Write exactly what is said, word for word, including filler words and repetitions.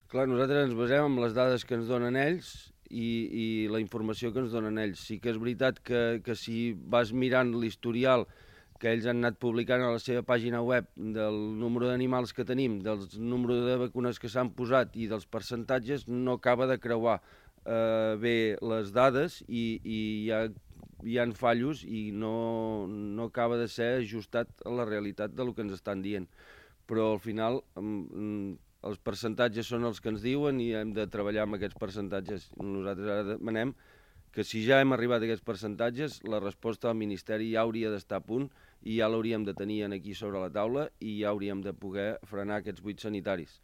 Clar, nosaltres ens basem en les dades que ens donen ells i, i la informació que ens donen ells. Sí que és veritat que, que si vas mirant l'historial que ells han anat publicant a la seva pàgina web del número d'animals que tenim, del número de vacunes que s'han posat i dels percentatges, no acaba de creuar eh, bé les dades i, i hi ha, hi ha fallos i no, no acaba de ser ajustat a la realitat del que ens estan dient. Però al final mm, els percentatges són els que ens diuen i hem de treballar amb aquests percentatges. Nosaltres ara demanem que si ja hem arribat a aquests percentatges, la resposta del Ministeri ja hauria d'estar a punt i ja l'hauríem de tenir aquí sobre la taula i ja hauríem de poder frenar aquests buits sanitaris.